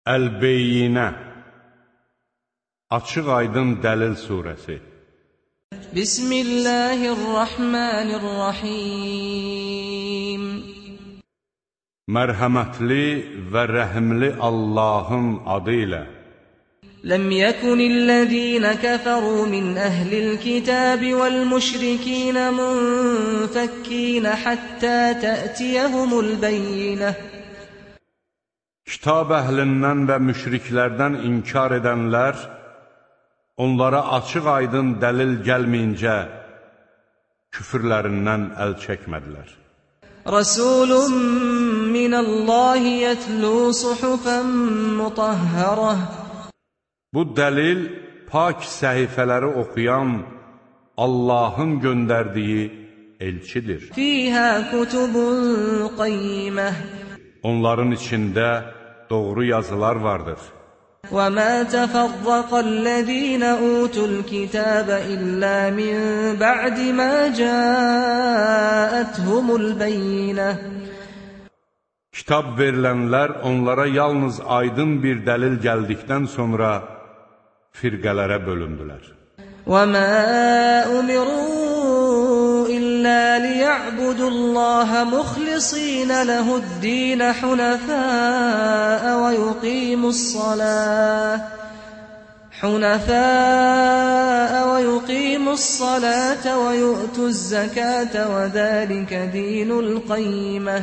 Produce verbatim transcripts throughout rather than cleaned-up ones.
Əl-Beyyinə, Açıq aydın dəlil surəsi. Bismillahirrahmanirrahim. Mərhəmətli və rəhimli Allahın adı ilə. Ləm yəkunillezîne kəfərû min əhlil kitəbi vəl müşrikîne munfəkkîne həttə tə'tiyəhumul beyyinə. Kitab əhlindən və müşriklərdən inkar edənlər, onlara açıq aydın dəlil gəlməyincə küfürlərindən əl çəkmədilər. Rasulun minəllahi yətlu suhufən mutahhərə. Bu dəlil pak səhifələri oxuyan Allahın göndərdiyi elçidir. Fīhə kutubun qayyimə. Onların içində doğru yazılar vardır. وَمَا تَفَرَّقَ الَّذِينَ أُوتُوا الْكِتَابَ إِلَّا مِنْ بَعْدِ مَا جَاءَتْهُمُ الْبَيِّنَةُ. Kitab verilənlər onlara yalnız aydın bir dəlil gəldikdən sonra firqələrə bölündülər. وَمَا أُمِرُوا إِلَّا لِيَعْبُدُوا اللَّهَ مُخْلِصِينَ لَهُ الدِّينَ حُنَفَاءَ وَيُقِيمُوا الصَّلَاةَ حُنَفَاءَ وَيُقِيمُوا الصَّلَاةَ وَيُؤْتُوا الزَّكَاةَ وَذَلِكَ دِينُ الْقَيِّمَةِ.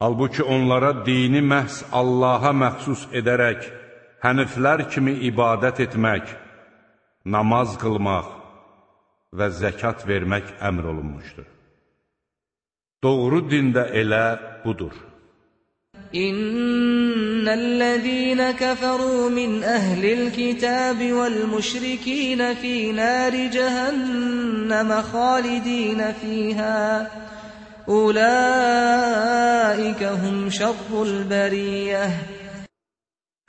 Halbuki onlara dini məhz Allaha məxsus edərək həniflər kimi ibadət etmək, namaz qılmaq və zəkat vermək əmr olunmuşdur. Doğru din də elə budur. İnnellezîne keferû min ehlil kitâbi vel müşrikîne fî nâri cehenneme khâlidîne fîhâ. Ulaîke hum şerrul beriyyeh.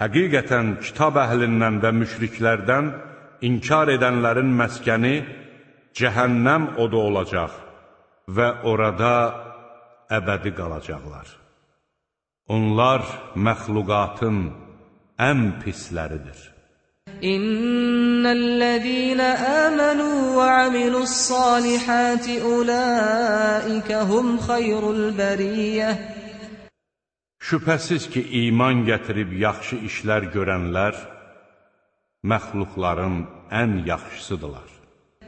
Həqiqətən kitab əhlindən və müşriklərdən inkar edənlərin məskəni cəhənnəm odu olacaq və orada əbədi qalacaqlar. Onlar məxluqatın ən pisləridir. İnnellezîne âmenû və amilussâlihâti ulâike hum xayrul beriyyeh. Şübhəsiz ki, iman gətirib yaxşı işlər görənlər məxluqların ən yaxşısıdırlar.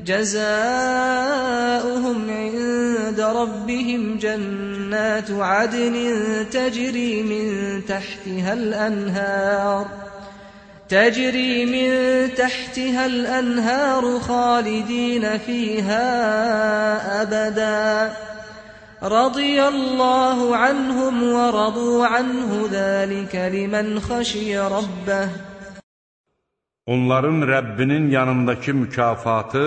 Cəzâuhum ində rabbihim cənnətu adnin təcri min təhtihəl ənhər təcri min təhtihəl ənhər xalidinə fīhə əbədə. Radiyallahu anhum və radu anhu zəlikə limən xəşiyə rabbəh. Onların Rəbbinin yanındakı mükafatı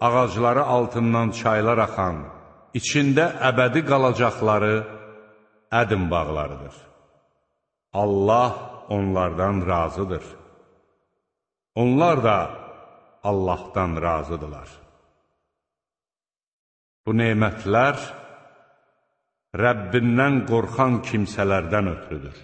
ağacları altından çaylar axan, içində əbədi qalacaqları ədin bağlarıdır. Allah onlardan razıdır. Onlar da Allahdan razıdırlar. Bu nemətlər Rəbbindən qorxan kimsələrdən ötürüdür.